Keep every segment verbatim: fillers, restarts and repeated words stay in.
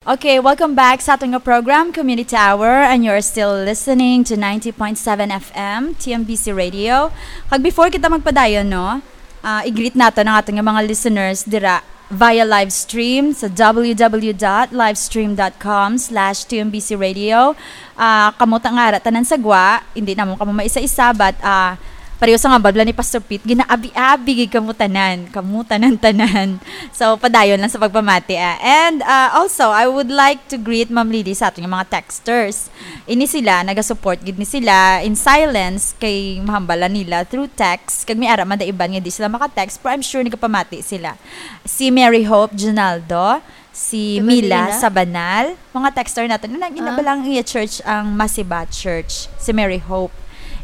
Okay, welcome back sa aton nga program, Community Hour, and you're still listening to ninety point seven F M, T M B C Radio. Kag before kita magpadayon, no, ah, i-greet nato ang aton nga mga listeners dira via live stream sa w w w dot livestream dot com slash T M B C Radio. Ah, kamo ta nga ara tanan sa gwa, hindi namon kamo maisa-isa, but, ah, pareho sa nga babla ni Pastor Pete, ginaabi-abi gid kamo tanan, kamo tanan-tanan. So, padayon lang sa pagpamati, ah. And, ah, also, I would like to greet Ma'am Lily sa aton nga mga texters. Ini sila, nagasupport gid ni sila in silence kay mahambal lang nila through text. Kag may ara man da iban nga di sila maka-text, pero I'm sure nagapamati sila. Si Mary Hope Junaldo, si Taga Mila Lina? Sabanal, mga texter natin. Ano, ina Ah. ba lang iya church ang Masiba Church? Si Mary Hope.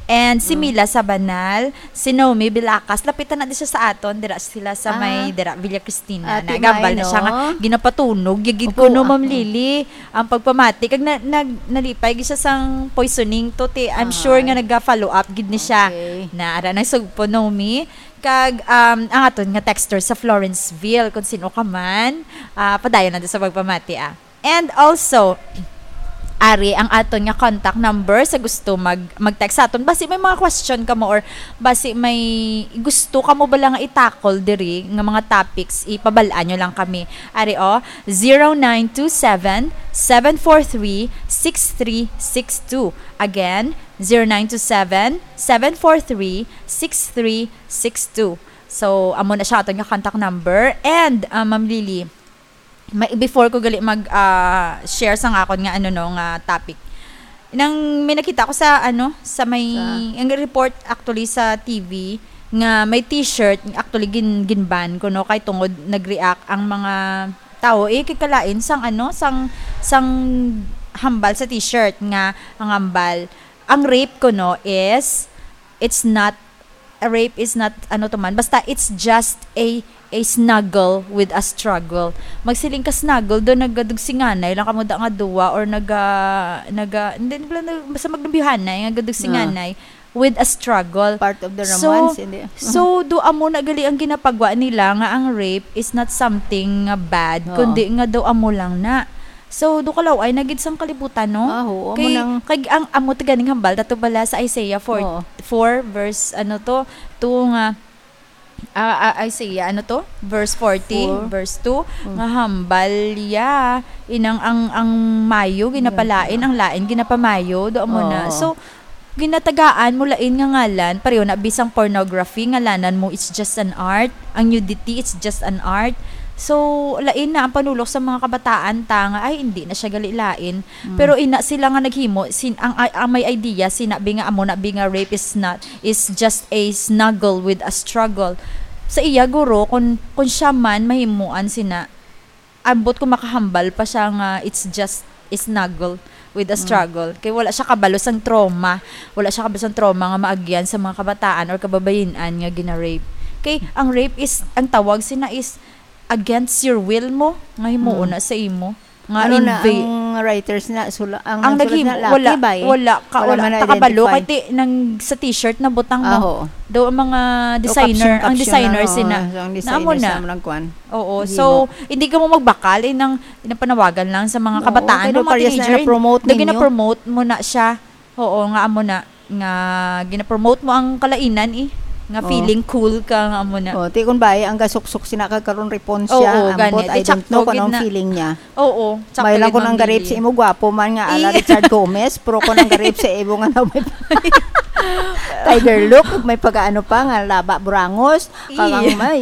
And si Mm. Mila Sabanal, si Naomi Bilacas, lapitan na di siya sa aton, dira sila sa Ah. may, dira, Villa Cristina. Ate Nagambal May, na siya nga, no? ginapatunog, yagid Opo, ko, no, ah, Ma'am mm. Lily, ang pagpamati. Kag na, nag, nalipay, gid siya sang poisoning to, ti, I'm Ah. sure nga nag-follow up, gid ni siya. Okay. Na, ara na, sugpo, Naomi. Kag, um, ang aton nga texter sa Florenceville, kung sino ka man, ah, padayon nato sa pagpamati, ah. And also, ari ang aton nga contact number sa gusto mag, mag-text sa aton. Basi may mga question ka mo or basi may gusto ka mo bala nga i-tackle diri nga mga topics, ipabal-an nyo lang kami. Ari, oh, zero nine two seven, seven four three, six three six two. Again, zero nine two seven, seven four three, six three six two. So, amo na siya aton nga contact number. And, ah, Ma'am Lily, may, before ko gali mag, ah, share sa nga akon nga, ano, no, nga topic. Nang may nakita ko sa, ano, sa may, Sa ang report actually sa T V, nga may t-shirt, actually, gin-, gin-ban ko, no, kay tungod nag-react ang mga tao, eh, kay kalain sang, ano, sang, sang hambal sa t-shirt nga ang hambal, ang rape ko, no, is, it's not, a rape is not, ano to man, basta it's just a, a snuggle with a struggle. Magsiling ka snuggle, do nagadugsinganay lang kamo da nga duwa or naga, naga, hindi, hindi lang, basta magnambihanay, nga gadugsinganay with a struggle. Part of the So, romance, hindi. so, do amo na gali ang ginapagwa nila nga ang rape is not something nga bad, Oo. kundi nga do amo lang na. So, do kalaw-ay na gid sang kalibutan, no? Ah, oo, amo Kay, nang kag ang amo ti ganing hambal, tato bala sa Isaiah four, Oo. four verse, ano to, two nga, ah, ah, Isaiah, ano to? Verse forty, Four. verse two, Mm. nga hambal ya, inang ang, ang mayo ginapalain, Yan. ang lain ginapamayo, do amo na. Oo. So, ginatagaan mo lain nga ngalan, pareho na bisang pornography, ngalanan mo, it's just an art. Ang nudity, it's just an art. So, lain na ang panulok sa mga kabataan ta nga, ay, hindi na siya gali lain. Mm. Pero ina sila nga naghimo, sin-, ang, ang may idea, sinabi nga amo na bi nga rape is not, is just a snuggle with a struggle. Sa iya, guro, kung, kung siya man mahimuan sina, ambot kung makahambal pa siya nga it's just a snuggle with a Mm. struggle. Kay wala siya kabalo sang trauma. Wala siya kabalo sang trauma nga maagyan sa mga kabataan or kababayin-an nga gina-rape. Kay ang rape is, ang tawag sina is against your will mo, nga himuon Mm. na sa imo. Nga Ano na invi- ang writers na, sula-, ang Ang nagsulat naging, na, wala, Lucky Bay. wala ka, Wala wala man ka kabalo, na-identify. kay ti-, nang sa t-shirt na butang mo. Ah, oo. Daw ang mga O, designer, ang caption-caption designer lang, sina, oo. Ang na amo designer na. sa mga kuwan. Oo, Hindi so, mo. hindi ka mo magbakal, eh, nang, nang panawagan lang sa mga Oo, kabataan, kay no, daw mga parehas na teenager, na-promote na ninyo. gina-promote mo na siya. Oo, nga amo na, nga gina-promote mo ang kalainan, eh, nga Oo. feeling cool ka, nga amo na. Oh, ti kun bay, ang gasuksok sina ka karon repon Oo, siya, gani. ambot, Ti I don't sakto know kung gid anong na. feeling niya. Oo, sakto May lang gid, kung ang Ma'am garip Lily. sa imo, gwapo man nga, ala Eh. Richard Gomez, pero kung ang garip sa imo nga na may Tiger look, may pagkaano pa, nga laba burangos, Iya. kagang may,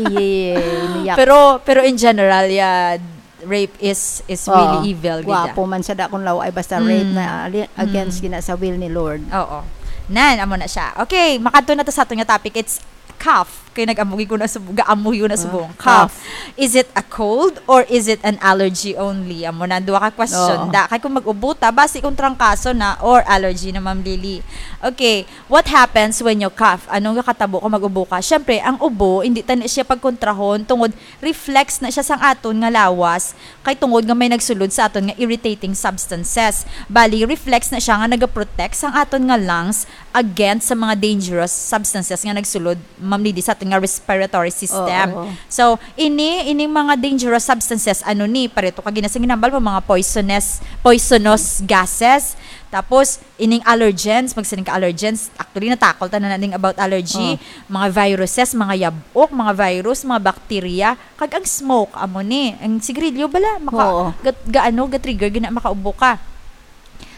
iye, iyak. Pero, pero in general, yeah, rape is, is Oo. really evil, gid, Gwapo ah. man sa dakong law ay basta rape Mm. na ali-, against Mm. gina sa will ni Lord. Oo. Nan, amo na siya. Okay, makadto na to sa aton nga topic. It's cough. Kay nag-amugi ko na subong, gaamuyo na Ah, subong. Cough. cough. Is it a cold or is it an allergy only? Amo na, duha ka question. Oo. Da, kay kung mag-ubo ta, basi kung trangkaso na or allergy na, Ma'am Lily. Okay, what happens when you cough? Anong nakatabo kung mag-ubo ka? Siyempre, ang ubo, hindi ta na siya pagkontrahon tungod reflex na siya sang aton nga lawas, kay tungod nga may nagsulod sa aton nga irritating substances. Bali, reflex na siya nga nagaprotect sang aton nga lungs against sa mga dangerous substances nga nagsulod, Ma'am Lily, sa nga respiratory system. Oo. So, ini, ining mga dangerous substances, ano ni, pareto ka gina-, sa ginhambal mo, mga poisonous, poisonous gases. Tapos, ining allergens, magsiling ka allergens, actually, natakol ta na naning about allergy, Oh. mga viruses, mga yabok, mga virus, mga bacteria, kag ang smoke, amo ni, ang sigarilyo bala, maka, Oo. gat, ga, ano, ga-trigger, gina, makaubo ka.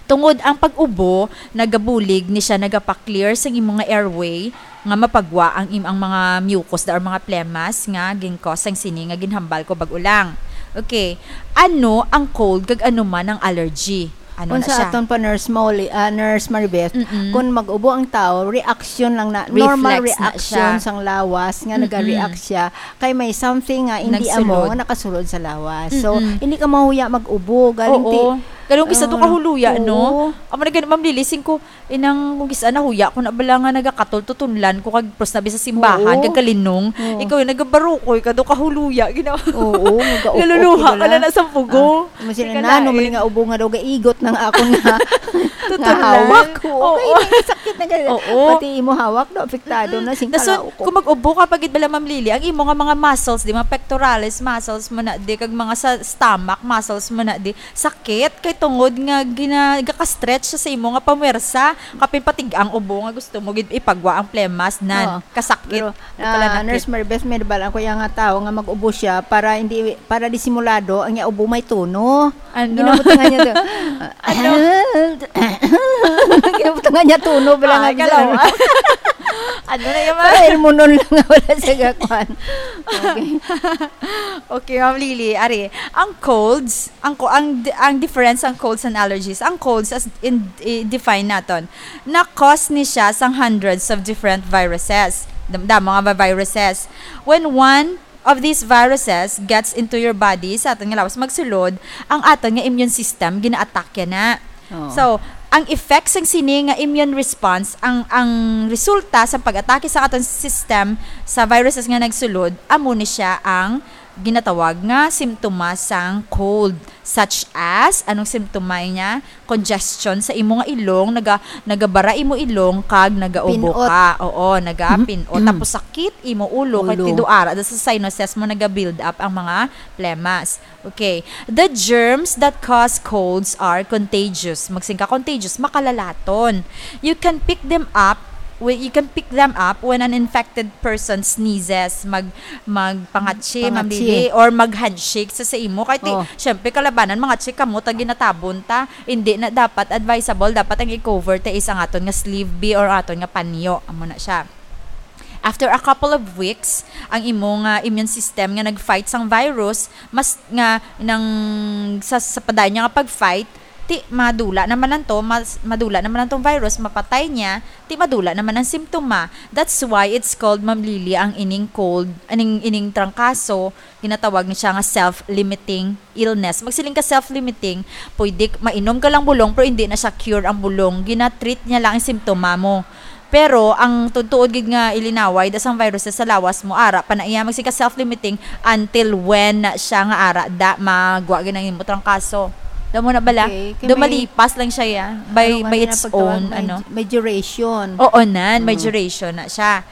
Tungod ang pag-ubo, nagabulig ni siya, nagapa-clear sang imo nga airway, nga mapagwa ang im-, ang mga mucus da or mga phlegmas nga gin-cause sang sini nga ginhambal ko bag-o lang. Okay. Ano ang cold kag ano man ang allergy? Ano na Unsa siya? aton pa, Nurse Molly, ah, Nurse Maribeth, Mm-mm. kung mag-ubo ang tao, reaction lang na, normal Reflex na reaction siya. sang lawas nga Mm-mm. nag-react siya kay may something nga hindi Nagsulod. amo nga nakasulod sa lawas. So, Mm-mm. hindi ka mahuya mag-ubo. Galing ti, Oo. Ganun kisa to ah, kahuloya, no? oo. Amo na gani, Ma'am Lily, sing ko, inang kung kisa nahuya ko na bala nga nagakatol-tutunlan ko kag pros na sa simbahan, Oo. kag kalinong, Oo. ikaw yung nagabarukoy ka do kahuloya, ginawa. Oo, nagaupo Naluluha ko ka na na sa pugo. Ah, mo sila Sige nano, na, man eh. Nga ubo nga daw gaigot nang akon nga, nga Tutulan. hawak. Oo, Oo. kay may sakit na gani. Oo. Pati imo hawak, no, apektado na sing Dason, kalaukop. kung mag-ubo ka, pagid bala, Ma'am Lily, ang imo nga mga muscles, di, mga pectoralis muscles mo na, di, kag mga sa stomach muscles mo na, di, sakit, kay tungod nga gina-, gaka-stretch siya sa imo nga pamwersa, kapin patig ang ubo nga gusto mo gid ipagwa ang phlegmas, nan, Oo. kasakit. Pero, Ito pala ah, nakit. Nurse Maribeth, may nabal-an ko yung nga tao nga mag-ubo siya para hindi, para disimulado ang iya ubo may tono. Ano? Ginabutangan niya to. Ano? Ginabutangan niya tono, bala Ay, nga kalaw. bisan. Ano na yung Para ilmunon lang nga wala sa gakwan. Okay. Okay, Ma'am Lily, ari, ang colds, ang co-, ang di-, ang difference ang colds and allergies. Ang colds, as in, i-define naton, na cause ni siya sang hundreds of different viruses. Dam-, damo nga ba viruses? When one of these viruses gets into your body, sa aton nga lawas magsulod, ang aton nga immune system gina-attack yan na. Oo. So, ang effects sang sini nga immune response, ang, ang resulta sa pag-atake sa aton system sa viruses nga nagsulod, amo ni siya ang ginatawag nga simptomas sang cold, such as, anong simptoma niya? Congestion sa imo nga ilong, naga-, nagabara imo ilong kag nagaubo Pinot. Ka. Oo, nagapinot. Tapos sakit imo ulo, kay Ulo. Tiduara da sa sinuses mo naga-build up ang mga phlegmas. Okay. The germs that cause colds are contagious. Magsing ka contagious, makalalaton. You can pick them up when, you can pick them up when an infected person sneezes, mag, magpangatsi, Pangatsi. Ma'am Lily, or mag-handshake sa, sa imo. Kay ti, Oh. syempre, kalabanan, mangatsi kamo, ta ginatabon ta. Hindi na dapat advisable. Dapat ang i-cover ta is ang aton nga sleeve B or aton nga panyo. Amo na siya. After a couple of weeks, ang imo nga immune system nga nag-fight sang virus, mas nga nang sa, sa padayon niya nga pag-fight, ti madula naman lang to, mas, madula naman lang tong virus, mapatay niya, ti madula naman ang simptoma. That's why it's called, Ma'am Lily, ang ining cold, aning, ining trangkaso, ginatawag ni siya nga self-limiting illness. Magsiling ka self-limiting, pwede k-, mainom ka lang bulong, pero hindi na siya cure ang bulong. Gina-treat niya lang ang simptoma mo. Pero ang tuod-tuod gid nga ilinaway, da sang viruses sa lawas mo, ara pa na iya, magsiling ka self-limiting until when na siya nga ara da magwa gid ang imo trangkaso. Damo na bala? Okay, kay Do may malipas lang siya, ya, by, Ano nga by ni its napagtawag, own, may, ano. May duration. Oo, nan, may Mm. duration na siya.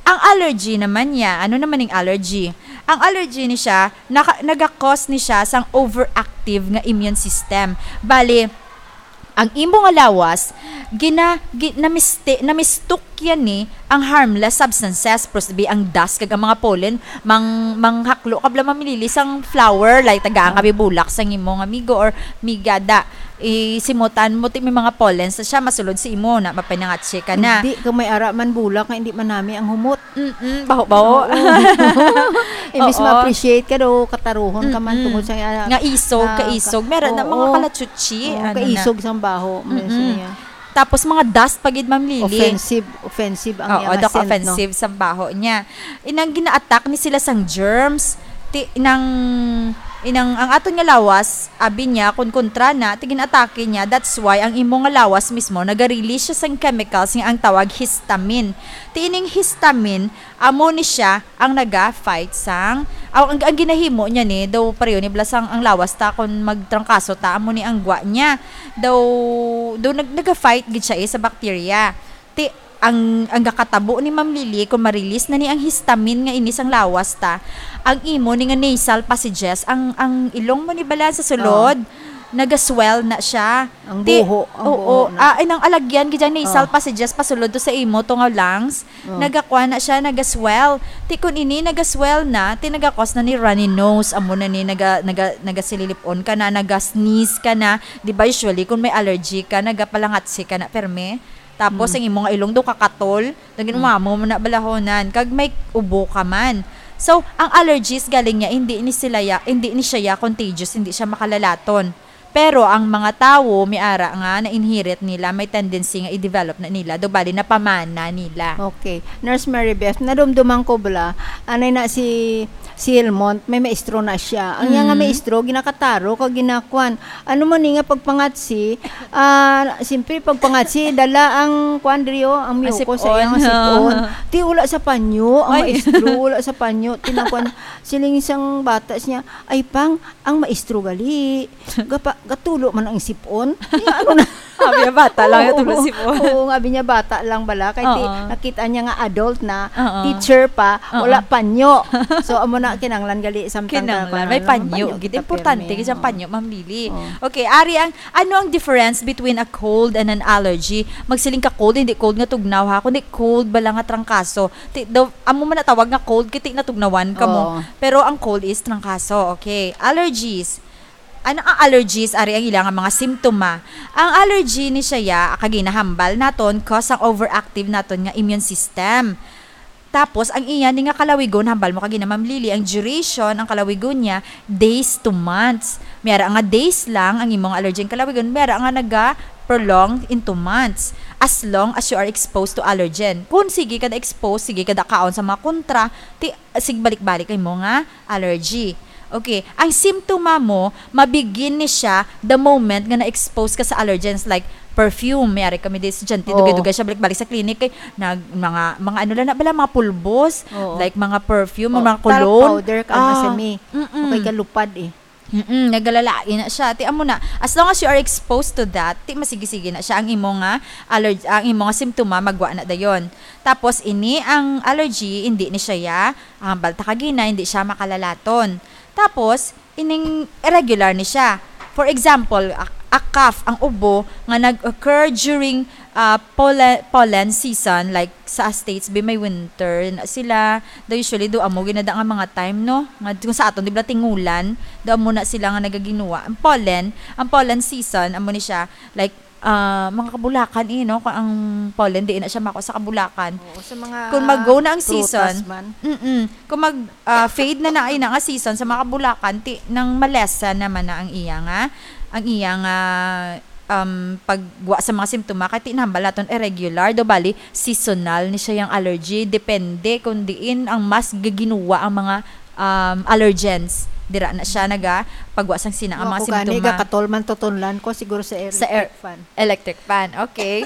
Ang allergy naman niya, ano naman yung allergy? Ang allergy ni siya, naka, nagakos ni siya sang overactive nga immune system. Bali, ang imo nga lawas, gina, gi, namisti, namistok yan ni ang harmless substances, prosbi ang dust kag ang mga pollen, mang, manghaklo ka bala, Ma'am Lily, sang flower, like, tagaan ka bulak sang imo nga amigo or miga da. Isimutan mo ti may mga pollen sa siya, masulod sa imo na, mapanangatsi ka na. Hindi ka may ara man bulak nga hindi manami ang humot. Mm-mm, baho-baho. Imbis Oo. ma-appreciate ka daw, kataruhon ka man Mm-mm. tungod sa, ah, Nga isog, nga kaisog. ka-, Meron na oo. Mga kalachuchi, Oo, ano na. Kaisog sang baho, meron Mm-mm. niya. Tapos mga dust pa gid, Ma'am Lily. Offensive, offensive ang Oo, iyang dok, scent, no? Offensive sa baho niya. Inang gina-attack ni sila sang germs. Ti, inang, inang, ang aton nga lawas, abi niya, kung kontra na, ti gina-atake niya, that's why ang imo nga lawas mismo, naga-release siya sang chemicals nga ang tawag histamine. Ti ining histamine, amo ni siya ang naga-fight sang, aw, ang, ang ginahimo niya ni, daw pareho ni bala sang ang lawas ta, kung magtrangkaso ta, amo ni ang gwa niya. Daw, daw nag-, naga-fight gid siya, eh, sa bacteria. Ti, ang, ang gakatabo ni Ma'am Lily, kung ma-release na ni ang histamine nga ini sang lawas ta, ang imo ni nga nasal passages, ang, ang ilong mo ni bala sa sulod, naga-swell na siya. Ang Ti-, buho, ang oo, buho na. Ah, ay, nang alagyan, gid ang nasal Oo. passages, pasulod to sa imo, to nga lungs, Oo. nagakuha na siya, naga-swell. Ti kun ini naga-swell na, ti nagakos na ni runny nose, amo na ni naga, naga, nagasililip-on ka na, naga-sneeze ka na. Di ba usually, kung may allergy ka, nagapalangatsi ka na, perme? Tapos, Mm. ang imong ilong do kakatol, naging Mm. umamo mo na balahonan, kag may ubo ka man. So, ang allergies galing niya, hindi ni sila ya, hindi ni siya ya contagious, hindi siya makalalaton. Pero ang mga tawo, may ara nga na-inherit nila, may tendency nga i-develop na nila, do bali napamana nila. Okay. Nurse Mary Beth, nadumduman ko bala, anay na si, si Helmont, may maestro na siya. Ang iya nga Mm. maestro, ginakataro, kag ginakuan. Ano man ni nga pagpangatsi, ah, siyempre, pagpangatsi, dala ang kuan diri, oh, ang Ah, mucus, sip-on. ay, ang sip-on. Ti, wala sa panyo, ang Ay. maestro, wala sa panyo. Tinakuan, siling isang bata siya, "Ay, pang, ang maestro gali, gapa-, gatulo man ang sip-on." Ti, ano na? Abi niya, bata lang, Oo, gatulo sip-on. Oo, nga, abi niya, bata lang bala. Kay ti, Oo. nakita niya nga adult na, Oo. teacher pa, Oo. wala panyo. So, amo na, kinanglan gali, samtang Kinanglan. ka, May kuan, panyo. Gid, importante, pirmi. Kasi ang Oo. panyo, Ma'am Lily. Oo. Okay, ari ang, ano ang difference between a cold and an allergy? Magsiling ka cold, hindi cold nga tugnaw, ha? Kundi cold bala nga trangkaso. Ti, daw, amo man na tawag nga cold, kay ti natugnawan ka mo. Oo. Pero ang cold is trangkaso. Okay. Allergies. Ano ang allergies? Ari ang ila nga mga simptoma. Ang allergy ni siya, ya, kag ginahambal naton, cause ang overactive naton nga immune system. Tapos, ang iya ni nga kalawigon, hambal mo kag ina, Ma'am Lily, ang duration, ang kalawigon niya, days to months. May ara nga days lang ang imong allergy ang kalawigon, may ara nga naga-prolong into months. As long as you are exposed to allergen. Kung sige ka na-expose, sige ka na kaon sa mga kontra, ti, sigbalik-balik ang imo nga allergy. Okay, ang simptoma mo, mabigin ni siya the moment nga na-expose ka sa allergens, like perfume. May ari kami di estudyante, Oo. dugay-dugay siya balik-balik sa clinic, kay nag-, mga, mga ano lang na bala, mga pulbos, Oo. like mga perfume, Oh, mga talc cologne. powder ka, Ah, masami. mm-mm. Okay, kalupad eh. Mm-mm, nagalalain na siya. Ti amo na, as long as you are exposed to that, ti masigi-sige na siya. Ang imo nga allerg-, ang imo nga simptoma, magwa na dayon. Tapos, ini ang allergy, hindi ni siya ya, ang balta kagina, hindi siya makalalaton. Tapos, ining irregular ni siya. For example, a, a cough, ang ubo nga nag-occur during, ah, pollen, pollen season, like sa States, bi may winter na sila, do usually do amo ginada nga mga time, no? Nga kung sa aton, di ba, tingulan, do amo na sila nga nagaginuwa. Ang pollen, ang pollen season, amo ni siya, like, ah, mga kabulakan, eh, no? Kung ang pollen, di na siya mako sa kabulakan. Oo, sa mga Kung mag-go na ang prutas season, man. mm-mm. Kung mag, ah, fade na na, ay na nga season sa mga kabulakan, ti, nang malesa naman na ang iya nga, ang iya nga, um, pagwa sa mga simptoma, kay ti nambal naton irregular, do bali, seasonal ni siya yang allergy. Depende kung diin ang mas gaginuwa ang mga, um, allergens. Dira na siya naga pagwa sang sina ang Wa mga ko gani, simptoma. Gakatol man tutunlan ko siguro sa Sa air-, electric fan. Electric fan. Okay.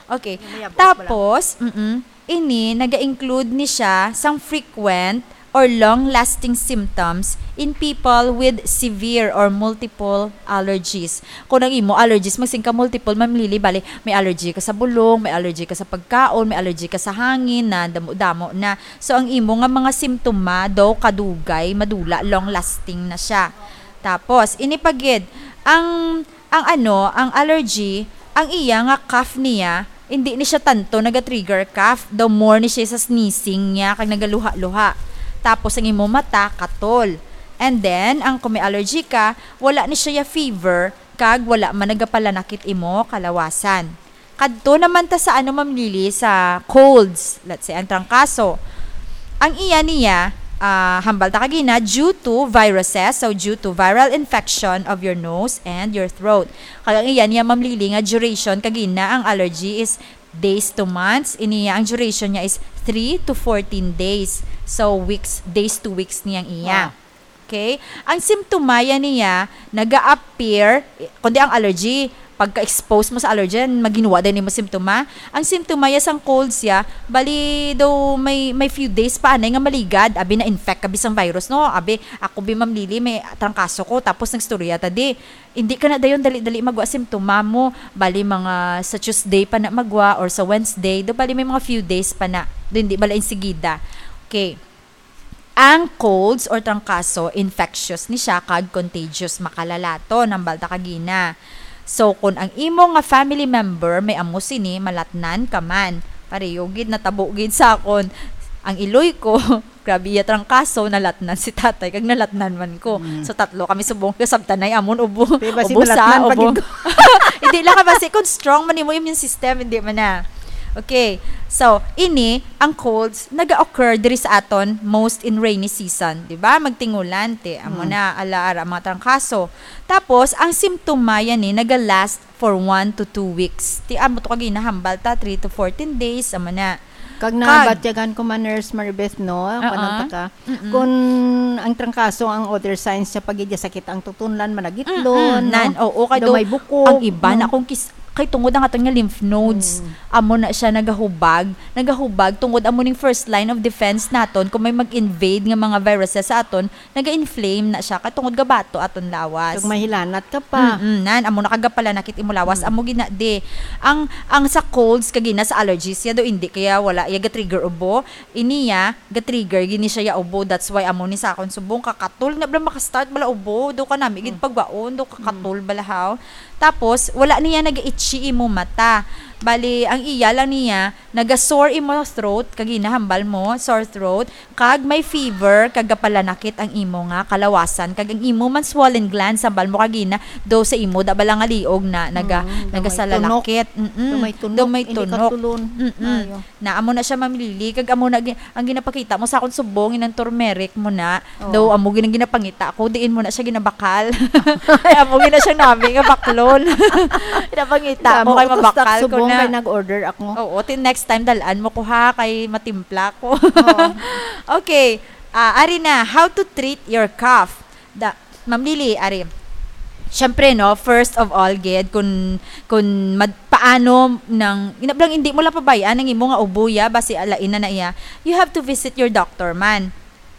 Okay. Mayabot pala. Tapos, mm, ini naga-include ni siya sang frequent or long-lasting symptoms in people with severe or multiple allergies. Kung ang imo allergies, magsing ka multiple, Ma'am Lily, bali, may allergy ka sa bulong, may allergy ka sa pagkaon, may allergy ka sa hangin na damo-damo na. So, ang imo nga mga simptoma daw kadugay, madula, long-lasting na siya. Tapos, ini pa gid, ang, ang ano, ang allergy, ang iya nga cough niya, hindi ni siya tanto naga-trigger cough, daw more ni siya sa sneezing niya, kag nagaluha-luha. Tapos, ang imo mata, katol. And then, ang kung may allergy ka, wala ni siya ya fever, kag wala man nagapalanakit imo kalawasan. Kadto naman ta sa ano, Ma'am Lily, sa colds, let's say, ang trangkaso. Ang iya niya, ah, hambal ta kagina, due to viruses, so due to viral infection of your nose and your throat. Kag ang iya niya, Ma'am Lily, nga duration kagina ang allergy is days to months. Ini niya, ang duration niya is three to fourteen days. So, weeks, days to weeks niyang iya. Wow. Okay? Ang simptoma ya niya, naga-appear, kundi ang allergy, pagka-expose mo sa allergen, maginwa din mo simptoma. Ang simptoma ya sang cold siya, bali daw may, may few days pa anay nga maligad, abi na-infect ka bisang virus, no? Abi, ako bi, Ma'am Lily, may trangkaso ko, tapos nagstorya ta di. Hindi ka na dayon dali-dali magwa simptoma mo, bali mga sa Tuesday pa na magwa or sa Wednesday, daw bali may mga few days pa na. Daw hindi bala insigida. Okay. Ang colds or trangkaso, infectious ni siya kag contagious, makalalaton, hambal ta kagina. So, kung ang imo nga family member may amo sini, malatnan ka man. Pareho gid, natabo gid sa akon. Ang iloy ko, grabe iya trangkaso, nalatnan si tatay, kag nalatnan man ko. Mm. So, tatlo kami subong, kasabtanay amon, ubo, Di ba si ubo sa, malatnan pa ubo. gid ko? Hindi lang ka basi kung strong man imo immune system, hindi man na. Okay. So, ini, ang colds, naga-occur diri sa aton, most in rainy season, di ba? Magtingulan, ti, amo Hmm. na, ala, ara, mga trangkaso. Tapos, ang simptoma yan ni, naga-last for one to two weeks. Ti, amo to kag ginahambal ta, three to fourteen days, amo na. Kag Kag nabatyagan ko man, Nurse Maribeth, no? Oo. Kanang taka, Mm-mm. kung ang trangkaso, ang other signs siya, pag iya sakit ang tutunlan, managitlon, Mm-mm, no? nan, oo, kay Daw do, may bukog, ang iba no? na kung kis-, kay tungod ang aton nga lymph nodes, Mm. amo na siya nagahubag, nagahubag tungod amo ning first line of defense naton, kung may mag-invade nga mga viruses sa aton, naga-inflame na siya, kay tungod gabato aton lawas. Kag mahilanat ka pa. Mm-mm, nan, amo na kagapalanakit imo lawas, Mm. amo gina, di. Ang, ang sa colds, kag ina sa allergies, ya do, hindi kaya wala, ya ga-trigger ubo, ini ya, ga-trigger gini siya ya ubo. That's why amo ni sa akon subong, kakatol na bala maka-start bala ubo, do ka nami gid Mm. pagbaon, do kakatol Mm. bala haw. Tapos, wala niya nag-itchy imo mata. Bali, ang iya lang niya, naga-sore imo throat, kag ginahambal mo, sore throat, kag may fever, kag gapalanakit ang imo nga kalawasan, kag ang imo man swollen glands, hambal mo kag gina, do sa imo, da bala nga liog na, naga-, Mm, do may nagasalalakit. Mm-mm. Do may tunok, Do may hindi tunok. katulon. Mm-mm. Ayo. Na amo na siya, Ma'am Lily, kag amo na gi-, ang ginapakita mo sa akon subong, inang turmeric mo na, Oo. daw amo gina-, ginapangita ko, diin mo na siya ginabakal. Ay, amo gina siya nami nga baklon. Ginapangita Damo ko kay ko to stock mabakal ko subong na. kay nag-order ako. Oo, till next time, dalaan mo ko ha, kay matimpla ko. Oo. Okay, ah, ari na, how to treat your cough? Da, Ma'am Lily, ari. Siyempre, no, first of all, gid, kun, kun mad-, paano nang, ina-, lang, hindi mo lang pabayaan ang imo nga ubo, ya, basi alain na na iya. You have to visit your doctor man.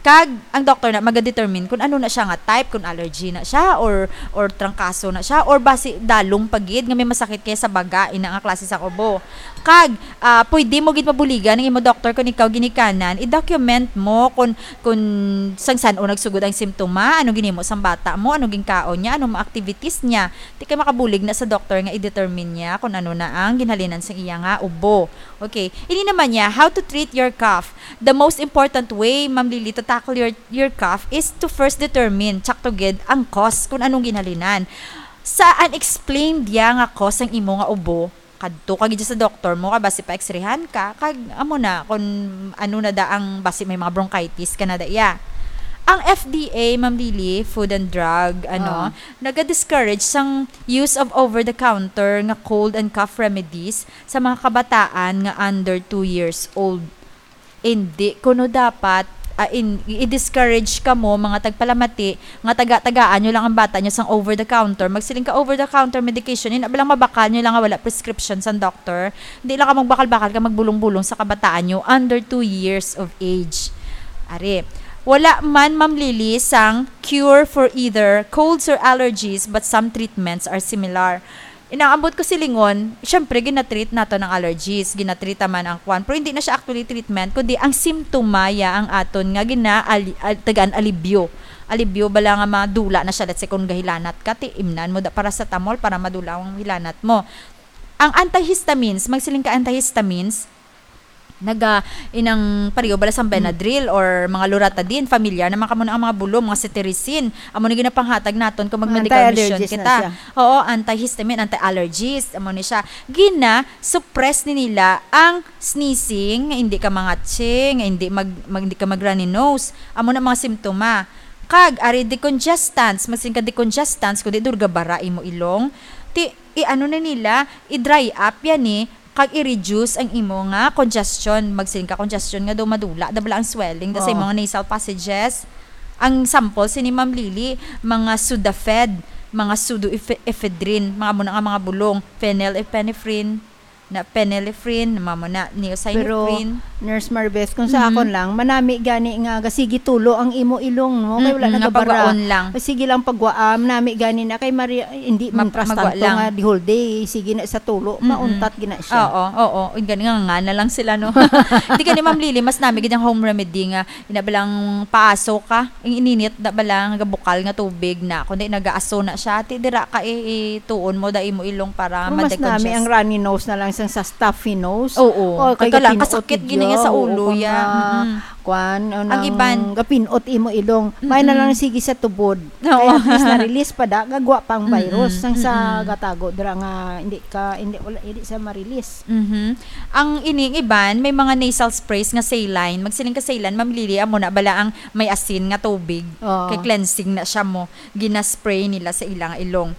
Kag ang doktor na magadetermine kung ano na siya nga type, kung allergy na siya or, or trangkaso na siya, or basi dalong pa gid nga may masakit kay sa baga, ina nga klase sa ubo. Kag, ah, pwede mo gid mabuligan ang imo doktor kung ikaw ginikanan, i-document mo kung, kung sang san-o nagsugod ang simptoma, ano ginhimo sang bata mo, ano ginkaon niya, ano mga activities niya. Di kay makabulig na sa doktor nga i-determine niya kung ano na ang ginhalinan sa iya nga ubo. Okay. Ini naman niya, how to treat your cough. The most important way, Ma'am Lily, to tackle your, your cough is to first determine, tsakto gid, ang cause kung anong ginhalinan. Sa unexplained ya nga cause ang imo nga ubo, kadto ka gid sa doktor mo, kay basi pa-x-rayhan ka, kag amo na, kung ano na da ang basi may mga bronchitis ka na da iya. Ang F D A, Ma'am Lily, Food and Drug, ano, Ah. naga-discourage sang use of over-the-counter nga cold and cough remedies sa mga kabataan nga under two years old. Hindi kuno dapat, ah, in, i-discourage kamo, mga tagpalamati, nga taga-tagaan nyo lang ang bata nyo sang over-the-counter. Magsiling ka, "Over-the-counter medication, ina ba lang mabakal nyo lang nga wala prescription sang doctor?" Hindi lang ka magbakal-bakal ka magbulong-bulong sa kabataan nyo under two years of age. Ari, wala man, Ma'am Lily, sang cure for either colds or allergies, but some treatments are similar. Inang ambot ko silingon, syempre, ginatreat nato ng allergies, ginatreat man ang kwan. Pero hindi na siya actually treatment, kundi ang simptoma ya ang aton nga gina-, ali-, al-, tagaan alibyo. Alibyo bala nga madula na siya, let's say, kung gahilanat ka, ti imnan mo da paracetamol para madula ang hilanat mo. Ang antihistamines, magsiling ka antihistamines, naga, inang pareho bala sang Mm. Benadryl or mga Loratadine, familiar naman kamo na ang mga bulong, mga cetirizine. Amo na ginapanghatag naton kung mag-medical mission Anti-allergies na kita. siya. Oo, antihistamine, anti-allergies, amo ni siya. Gina-suppress ni nila ang sneezing, nga hindi ka mangatsi, nga hindi mag-, mag-, hindi ka mag-runny nose. Amo na mga simptoma. Kag, ari decongestants, magsiling ka decongestants, kundi durga bara imo ilong. Ti, i-ano na nila, i-dry up yan eh, kag i-reduce ang imo nga congestion. Magsiling ka congestion nga daw madula, da bala ang swelling, da sa Oo. imo nga nasal passages. Ang sample sini, Ma'am Lily, mga Sudafed. mga pseudoephedrine, mga amo na nga mga bulong, phenylephrine, na phenylephrine, mga amo na, Pero, niacin. Nurse Maribeth, kung sa Mhm. akon lang, manami gani nga gasigi tulo ang imo ilong, no? Kay wala Mm-mm, na nga gabara. Pagwaon lang. Sige lang pagwaam, nami gani na kay Maria, ay, hindi Map-, man trastato magwa lang. Nga the whole day, sige na sa tulo, Mm-mm. Mauntat gina siya. Oo, oo. Uy, gani nga, nga na lang sila, no? Hindi gani, Ma'am Lily, mas nami gid ang home remedy nga, ina ba lang paaso ka, ang ininit na ba lang, nga bukal nga tubig na, kundi nagaaso na siya, ti dira ka i-, ituon mo, da imo ilong para Oh, mas madagkon nami siya. Ang runny nose na lang sang sa stuffy nose. Oo. O, kay Kay ka lang, gapinot kasakit gid gini nga sa niya, ulo, oo, ya. Nga, Mm-mm. Kwan, o Ang nang iban. Gapinot imo ilong. May na Mm-mm. Lang sige sa tubod. Oo. Kaya at least na-release pa da, gagwa pa ang virus. Mm-mm. Sang sa Mm-mm. Gatago, dira nga, hindi ka, hindi, wala, hindi sa ma-release. Mhm. Ang ining iban, may mga nasal sprays nga saline. Magsiling ka saline, Ma'am Lily, amo na bala ang may asin nga tubig. Oo. Kay cleansing na siya mo. Ginaspray nila sa ilang ilong.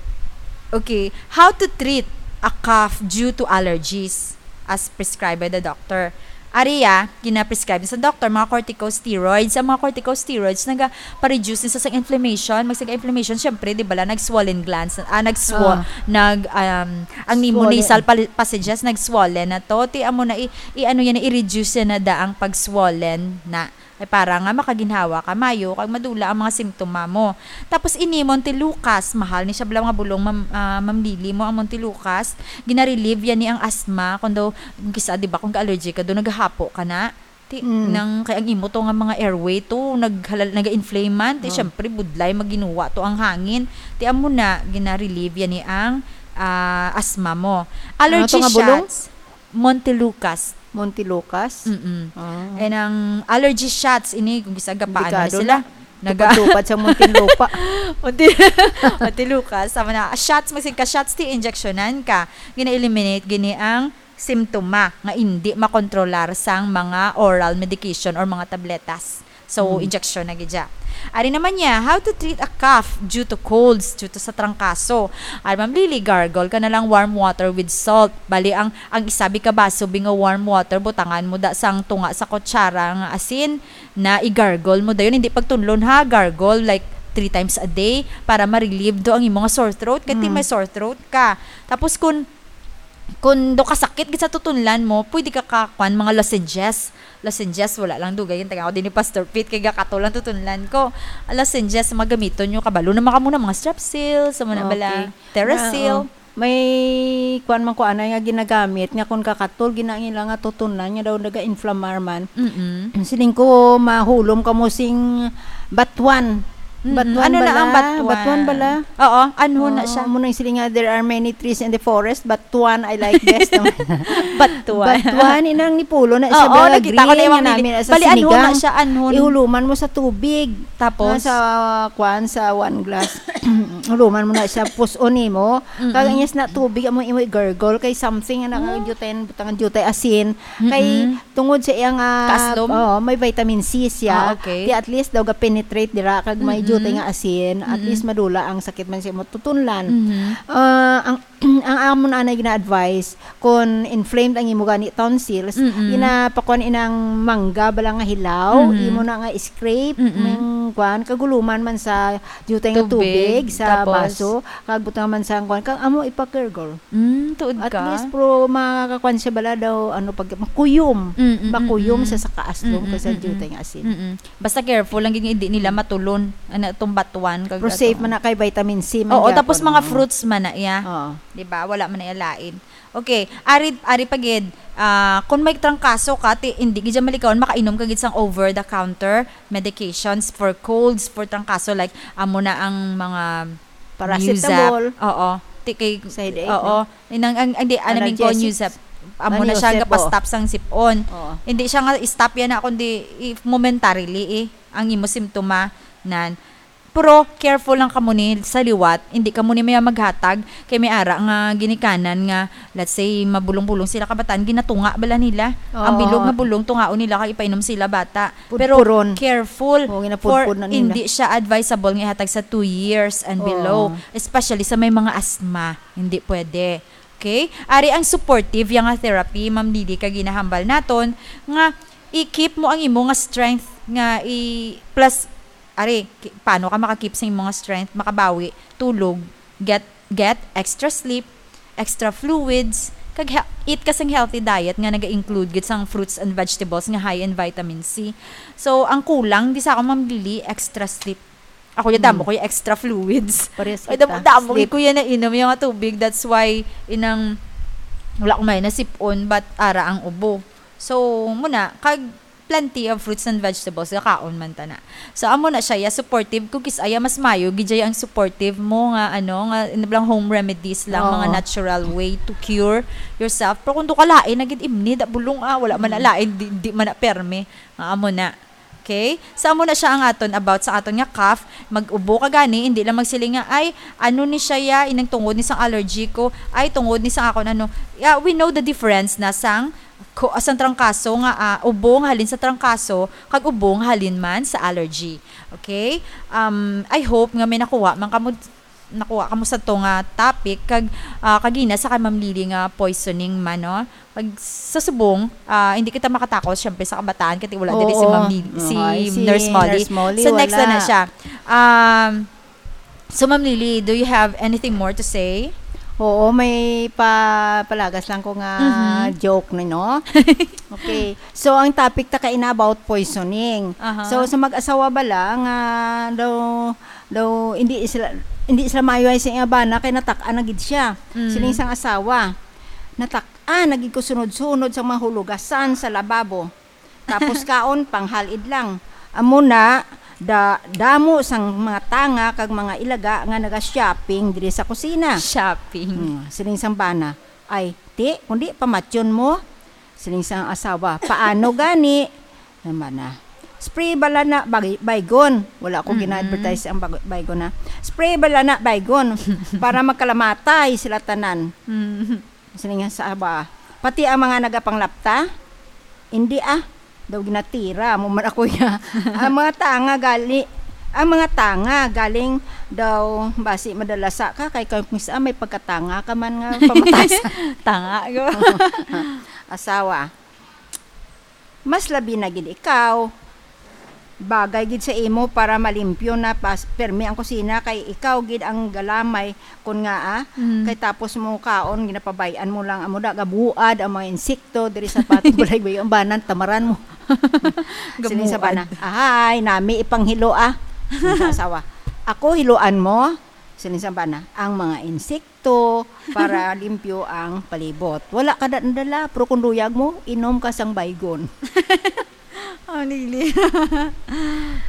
Okay. How to treat a cough due to allergies as prescribed by the doctor? Ari, ah, gina-prescribe sa doctor, mga corticosteroids. Ang mga corticosteroids, naga-pa-reduce sa, sa inflammation. Magsiga inflammation, syempre, di ba, la, nag-swollen glands, ah, nag-swo-, Ah. nag, um, ang nimo Swollen. Nasal pal-, passages, nag-swollen na to. Ti, amo na, i, i, ano yan, i-reduce yan na da ang pag-swollen na. Ay, para nga makaginhawa ka mayo, kag madula ang mga simptoma mo. Tapos, ini Montelukast, mahal ni siya bala mga bulong, Ma'am, ah, Ma'am Lily mo ang Montelukast. Gina-relieve yan ni ang asthma. Kung daw, kisa, di ba, kung ka-allergy ka, daw naghahapo ka na. Ti-, Mm. nang, kay ang imo to nga mga airway to, naghalal-, naga-inflame man. Ti, Oh. syempre, budlay, maginuwa to ang hangin. Ti, amo na, gina-relieve yan ni ang, ah, asthma mo. Ano Allergy to nga bulong? Shots. Montelukast. Montelukast? Mm-mm. Ah. And ang allergy shots, ini, kung gisa, gapaano Delikado sila? Na. Naga- Tupad-tupad sa Muntinlupa. Monti-, Montelukast, sama na. Shots, magsigka shots, ti injeksyonan ka. Gina-eliminate gini ang simptoma nga indi makontrolar sang mga oral medication or mga tabletas. So, Mm. injection na gid siya. Ari naman niya, how to treat a cough due to colds, due to sa trangkaso. Ari, Ma'am Lily, gargle ka na lang warm water with salt. Bali, ang, ang isa bi ka baso bi nga warm water, butangan mo da sang tunga sa kutsara nga asin, na i-gargle mo dayon. Hindi pagtunlon ha, gargle like three times a day para ma-relieve do ang imo nga sore throat. Kay ti Mm. may sore throat ka. Tapos kung, kung do kasakit gid sa tutunlan mo, pwede ka ka, kwan, mga lozenges. Lozenges, wala lang dugay yung taga ko din ni Pastor Pete, kay gakatol ang tutunlan ko. Lozenges, magamiton nyo, kabalo na maka muna, mga Strepsil, sa muna bala, Okay. Theracil. Na, oh. May kwan man ko anay nga ginagamit nga kung kakatol, ginaila nga tutunlan nga daw naga-inflamar man. Mm-mm. Siling ko, mahulom ka mo sing batuan. Mm-mm. Batuan Ano na bala? Ang batuan? Batuan bala? Oo, anhon na Oo, siya. Mo nang siling nga, "There are many trees in the forest, but one I like best." Batuan. Batuan, inang nipulo na siya, Oo, bala, nakita ko na green yung nga mga nami na sa Bali, anhon na sinigang. Siya, anhon. Ihuluman mo sa tubig. Tapos? Ah, sa, kwan, sa one glass. Huluman mo na siya, puson nimo. Mm-mm. Kag anyas na tubig, amo imo i-gargle kay something nga Oh. nakajutay, butang jutay asin. Kay Mm-mm. Tungod sa iya nga, Kaaslom? Oo, may vitamin C siya. Ah, okay. Kaya at least daw ga-penetrate dira kag may Mm-mm. jutay nga asin, at Mm-mm. least madula ang sakit man sa imo tutunlan. Mm-hmm. Ah, ang, ang amon anay gina-advise, kung inflamed ang imo gani tonsils, Mm-mm. ginapakuan inang mangga bala nga hilaw, Mm-hmm. imo na nga scrape, Mm-mm. ming kuan, kaguluman man sa jutay nga Tubig, tubig sa tapos? Baso, kag butang man sa kuan, kag amo ipa-gargle. Mm, tuod At ka? Least, pero makakakuan siya bala daw, ano, pag makuyom. Mm, mm, Makuyom mm, siya mm. Sa kaaslom Mm, kag sa mm, mm. Jutay nga asin. Mm, mm. Basta careful lang gid nga hindi nila matulon. Ano, itong batuan, kag Pero safe ato. Man na kay vitamin C man Oo, gyapon, tapos mga no? Fruits man na iya. Oo. Di ba? Wala man na iya lain. Okay, ari, ari pa gid, ah, kung may trangkaso ka, ti, hindi gid siya malikawan, makainom ka gid sang over-the-counter medications for colds, for trangkaso, like, amo na ang mga Paracetamol. Nuzap. Oo. Ti kay, Sa headache, oo. No? Inang, ang, ang, di, ano, min ko, Analgesics. Nuzap. Amo na siya, Nuzap, gapastop sang sipon. Oo. Hindi siya nga stop yan na, kundi, if momentarily, eh, ang imo simptoma, nan. Pero careful lang kamo ni sa liwat, hindi kamo ni maya maghatag kay may ara nga ginikanan nga, let's say, mabulong-bulong sila kabataan, ginatunga bala nila. Ang Oo. Bilog nga bulong, tungaon nila kay ipainom sila bata. Pero Pudpuron. Careful. Oo, ginapudpod for na nila. Hindi siya advisable nga ihatag sa two years and Oo. Below, especially sa may mga asthma. Hindi pwede. Okay? Ari ang supportive yang nga therapy, Ma'am Lily, kag ginahambal naton nga i-keep mo ang imo nga strength nga i-, plus, ari, ki-, paano ka maka-keep sa imo nga strength, makabawi, tulog, Get get extra sleep, extra fluids, kag he- eat ka sang healthy diet nga naga-include gid sang fruits and vegetables nga high in vitamin C. So, ang kulang di sa ako, Ma'am Lily, extra sleep. Ako ya damo Mm. ko yung extra fluids. Parehas Ay, damo, kita. damo Sleep. ko yan na inom yung tubig. That's why inang wala ko may nasipon, but ara ang ubo. So, muna, kag plenty of fruits and vegetables, gakaon man ta na. So, amo na siya, ya, supportive. Kung kis-aya, mas mayo, gid siya ang supportive mo nga, ano, nga, inablang home remedies lang, mga Oo. natural way to cure yourself. Pero kung doon ka lain, nagid imni, da bulong, ah, wala man na Mm. lain, di, di man na perme. Nga amo na. Okay? So, amo na siya ang aton about sa aton nga cough. Mag-ubo ka gani, hindi lang magsiling nga, "Ay, ano ni siya ya, inang tungod ni sang allergy ko, ay, tungod ni sang akon ano." Yeah, we know the difference na sang ko, sang trangkaso nga, ah, ubo nga halin sa trangkaso, kag ubo nga halin man sa allergy. Okay? Um, I hope nga may nakuha man kamo, nakuha kamo sa to nga topic, kag, ah, kagina sa kay Ma'am Lily nga poisoning man, no? Kag sa subong, ah, hindi kita makatakos, syempre, sa kabataan, kay wala diri si Oo. Ma'am Lily, si Ay, si Nurse Molly. Nurse Molly, So, next na na wala. siya. Um, so, Ma'am Lily, do you have anything more to say? Oo, may pa-, palagas lang ko nga Mhm. joke na, no? Okay. So, ang topic ta kaina about poisoning. Aha. So, sa mag-asawa bala nga daw, daw hindi sila, hindi sila maayo sa iyang bana kay natak-an na gid siya. Mm. Siling sang asawa, "Natak-an na gid ko sunod-sunod sa mga hulugasan sa lababo. Tapos kaon, panghalid lang." Amo na, da-, damo sang mga tanga kag mga ilaga nga naga-shopping diri sa kusina. Shopping. Hmm, siling sang bana, "Ay, ti, kundi pamatyon mo." Siling sang asawa, "Paano gani?" Ang bana, "Spray bala na, bay-, Baygon." Wala ko Mm-mm. gina-advertise ang bag-, Baygon, ha. "Spray bala na, Baygon, para magkalamatay sila tanan." Mm. Siling sang asawa, "Pati ang mga nagapanglapta?" "Hindi, ah." Daw ginatira mo man ako ya. Ang mga tanga gali, ang mga tanga galing daw basi madalasa ka kay kung mis-, ah, may pagkatanga ka man nga pamatas. Tanga ko. Asawa, "Mas labi na gid ikaw. Bagay gid sa imo para malimpyo na pas-, permi ang kusina kay ikaw gid ang galamay kon nga, ah, Mm. kay tapos mo kaon, ginapabay-an mo lang amo da, gabuad ang mga insekto diri sa patong balay, ang banan, tamaran mo." Siling sa Gabuad. bana, "Ahay, nami ipanghilo, ah." Siling sa asawa, "Ako hiluan mo?" Siling sa bana, "Ang mga insekto para limpyo ang palibot. Wala ka da nadala, pero kung luyag mo, inom ka sang Baygon." Oh, Lily.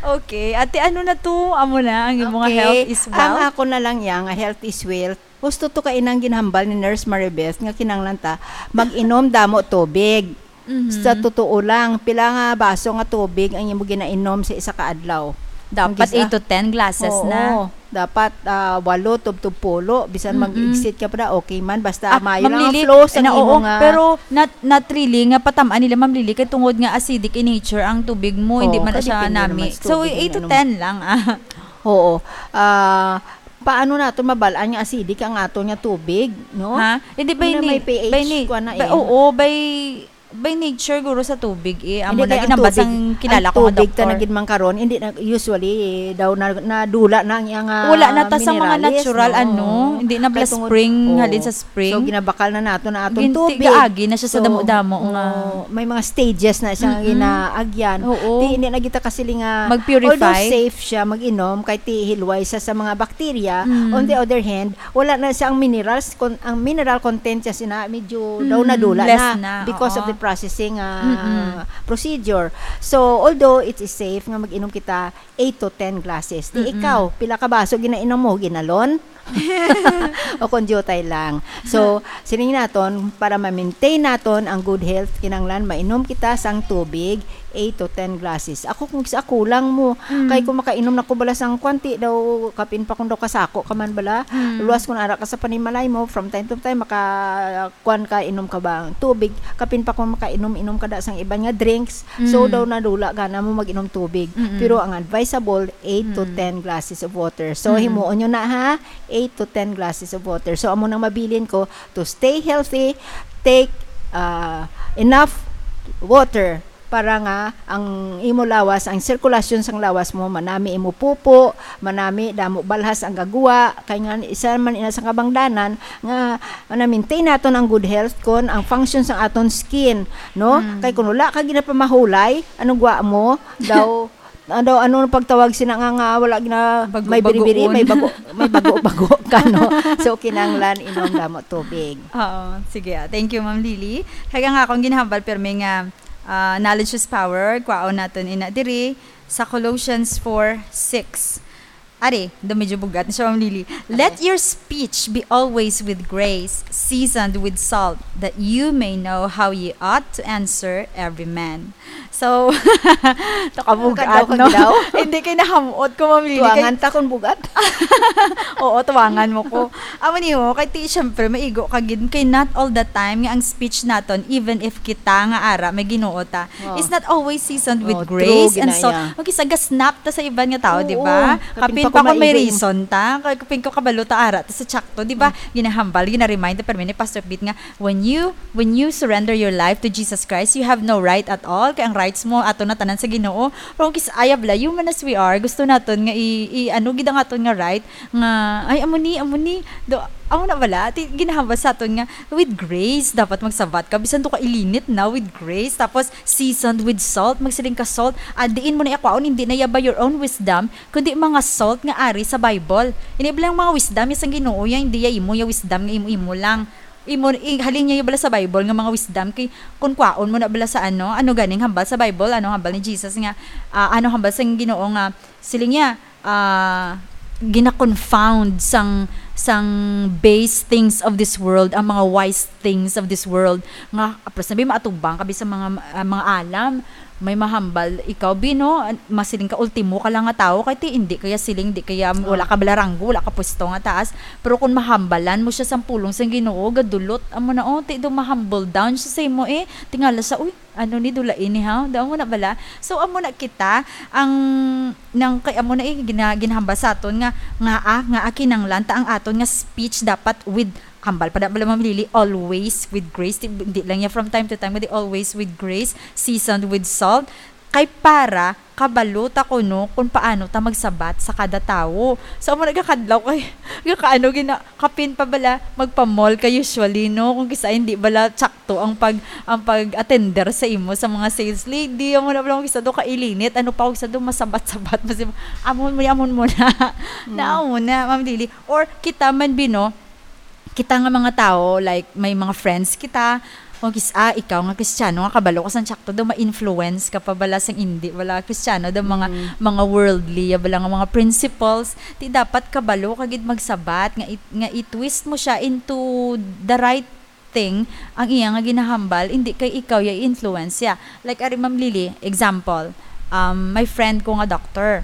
Okay. Ate, ano na to? Amo na ang imo nga Okay. health is Ang wealth? ako na lang ya nga health is wealth. Gusto to kainang ginhambal ni Nurse Maribeth nga kinahanglan ta mag-inom damo tubig. Mhm. Sa totoo lang, pila nga baso nga tubig ang imo ginainom sa isa ka adlaw? Dapat Ang gis-, eight to ten glasses Oo, na. dapat, ah, walo tubtob pulo, bisan Mm-mm. mag-exceed ka pa na, okay man, basta Ah, maayo Ma'am lang ang Lily, flow sa na, imo oo, nga pero not, not really nga patamaan nila, Ma'am Lily, kay tungod nga acidic in nature ang tubig mo, hindi Oo, man kay siya depende naman nami. sa So, tubig nga eight to inom. ten lang, ah. Oo. Ah, paano nato mabal-an nga acidic ang ato nga tubig, no? Ha? Hindi, by Hindi na na-, may pH, by na-, kuwan na by, eh. oo, by, by nature, guro, sa tubig, eh. Amo Hindi, na kay ang ginambas tubig, ang kilala ang ko nga tubig ta doktor. na gid man karon, hindi na, usually, eh, daw na, nadula na ang iyang, ah, Wala na ta sa mga minerales, natural, no? ano, hindi na Kay bala tungod, spring, oo. halin sa spring. So, ginabakal na nato na atong Ginti-, tubig. gaagi na siya sa So, damo-damo nga. oo, may mga stages na siya nga Mm-mm. ginaagyan. Oo. Di, hindi na kita kasiling nga, Mag-purify. although safe siya mag-inom, kay ti hilway sa, sa mga bakterya. Mm. On the other hand, wala na siya ang minerals, kon-, ang mineral content siya sina, medyo daw Mm, nadula less na na, because of oo. the processing, ah, Mm-mm. procedure. So, although it is safe nga mag-inom kita eight to ten glasses. Di Mm-mm. ikaw, pila ka baso ginainom mo? Ginalon? O kon diutay lang. So, sining naton, para ma-maintain naton ang good health, kinahanglan mainom kita sang tubig, eight to ten glasses. Ako, kung sa ako lang mo, Mm. kay kung makainom na ko bala sang kwanti daw, kapin pa kung daw kasako ka man bala, Mm. luwas kung ara ka sa panimalay mo, from time to time, maka-, kwan ka, inom ka ba tubig, kapin pa kung makainom-inom ka da sang iban nga drinks, so Mm. daw nadula gana mo mag-inom tubig. Mm-mm. Pero ang advisable, eight to Mm. ten glasses of water. So, Mm-mm. himuon nyo na, ha, eight to ten glasses of water. So, amo nang mabilin ko, to stay healthy, take, uh, enough water. para nga ang imo lawas, ang sirkulasyon sang lawas mo, manami imo pupo, manami damo balhas ang gagwa, kay nga isa man ina sa kabangdanan nga na-maintain naton ang good health kon ang function sang aton skin, no? Mm. Kay kung wala ka ginapamahulay, anong gwa mo? Daw, ano, ano ang pagtawag sina nga, nga wala gina-, may Bago-bagoon. Biri-biri, may bago, may bago-bago ka, no? So, kinahanglan inom damo tubig. Oo, sige, ah. Thank you, Ma'am Lily. Kaya nga akong ginahambal, pirmi nga, ah, knowledge is power. Kwaon naton ina diri sa Colossians four six. Ari, do medyo bugat na siya, Ma'am Lily. "Let Okay. your speech be always with grace, seasoned with salt, that you may know how ye ought to answer every man." So, to ka bugat, Kadaw, no? Kadaw. Hindi kay nahamot ko, Ma'am Lily, kay Tuwangan ta kung bugat. Oo, tuwangan mo ko. Amo ni, oh, kay ti, syempre, maigo ka gid. Kay not all the time nga ang speech naton, even if kita nga ara, may Ginoo ta, Oh. is not always seasoned with Oh, grace true, and so, ginaya. Okay, sa gasnap ta sa iban nga tao, Oo, di ba? Kapin kapin pa pa kung may maigo yung reason ta, kay kapin ko kabalo ta ara ta sa tsakto, di ba? Mm. Ginahambal, gina-remind ta permi ni Pastor Pete nga, when you, when you surrender your life to Jesus Christ, you have no right at all. Kay ang rights mo, ato na tanan sa Ginoo. Pero kung kis-, ayab la, human as we are, gusto naton nga i, i, ano, gid ang aton nga right, nga, ay, amo ni, amo ni, do, amo na bala, ti, ginahambal sa aton nga, with grace, dapat magsabat ka, bisan do ka ilinit na, with grace, tapos seasoned with salt, magsiling ka salt, ah, diin mo na iya kwaon, hindi na iya by your own wisdom, kundi mga salt nga ari sa Bible. Ini bilang mga wisdom, iya sang Ginoo, ya, hindi ya imo, ya wisdom nga imo-imo lang. Imo, i-, halin niya bala sa Bible nga mga wisdom, kay kung kwaon mo na bala sa ano, ano ganing hambal sa Bible, ano hambal ni Jesus nga, ah, ano hambal sa Ginoo nga, siling niya, ah, gina-confound sang, sang base things of this world, ang mga wise things of this world, nga, apos na ba maatubang ka sa mga, ah, mga alam, may mahambal, ikaw, Bino, an-, masiling ka, ultimo ka lang nga tawo, kay ti, hindi kaya siling, di kaya, Oh. wala ka bala ranggo, wala ka pwesto nga taas, pero kung mahambalan mo siya sang pulong sang Ginoo, gadulot, amo na, oh, ti, do ma-humble down siya sa imo, eh, tingala sa, uy, ano ni, dula ini, ha? Daw mo na bala? So, amo na kita, ang, nang, kay, amo na, eh, gina-, ginahambal sa aton nga, nga, ah, nga, ah, kinanglan ta ang aton nga speech dapat with, hambal pa na bala, Ma'am Lily, always with grace. Di, di lang niya from time to time, kundi always with grace, seasoned with salt. Kay para kabalo ta kuno kung paano ta magsabat sa kada tawo. So, amo nagakadlaw kay, kay kaano gina-, kapin pa bala, magpa-mall ka usually, no? Kung kisa hindi bala tsakto ang pag, ang pag-attender sa imo sa mga sales lady, amo na bala kung kisa do kailinit, ano pa kung kisa do masabat-sabat mo si, "Amon mo, amon mo na." Hmm. Na, amo na, Ma'am Lily. Or kita man, Bino, kita nga mga tawo, like, may mga friends kita, o kis-, ah, ikaw nga Kristiyano nga kabalo ka sa tsakto daw, ma-influence ka pa bala sang indi bala Kristiyano daw, mga, Mm. mga worldly ya bala nga mga principles, ti dapat kabalo ka gid magsabat nga i-, nga i-twist mo siya into the right thing ang iya nga ginahambal, indi kay ikaw ya i-influence siya. Like, ari, Ma'am Lily, example, um, may friend ko nga doctor.